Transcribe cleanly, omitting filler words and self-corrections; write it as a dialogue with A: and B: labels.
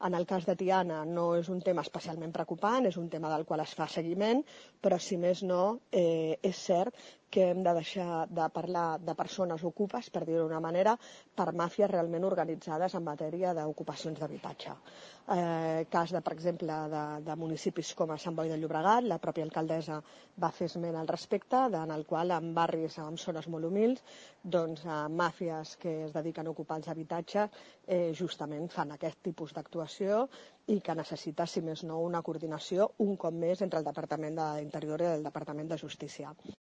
A: En el cas de Tiana no és un tema especialment preocupant, és un tema del qual es fa seguiment, però si més no, és cert que hem de deixar de parlar de persones ocupes, per dir-ho d'una manera, per màfies realment organitzades en matèria d'ocupacions d'habitatge. Cas, per exemple, de municipis com a Sant Boi de Llobregat, la pròpia alcaldessa va fer esment al respecte, en el qual en barris, en zones molt humils, doncs màfies que es dediquen a ocupar els habitatges justament fan aquest tipus d'actuació i que necessita, si més no, una coordinació un cop més entre el Departament d'Interior i el Departament de Justícia.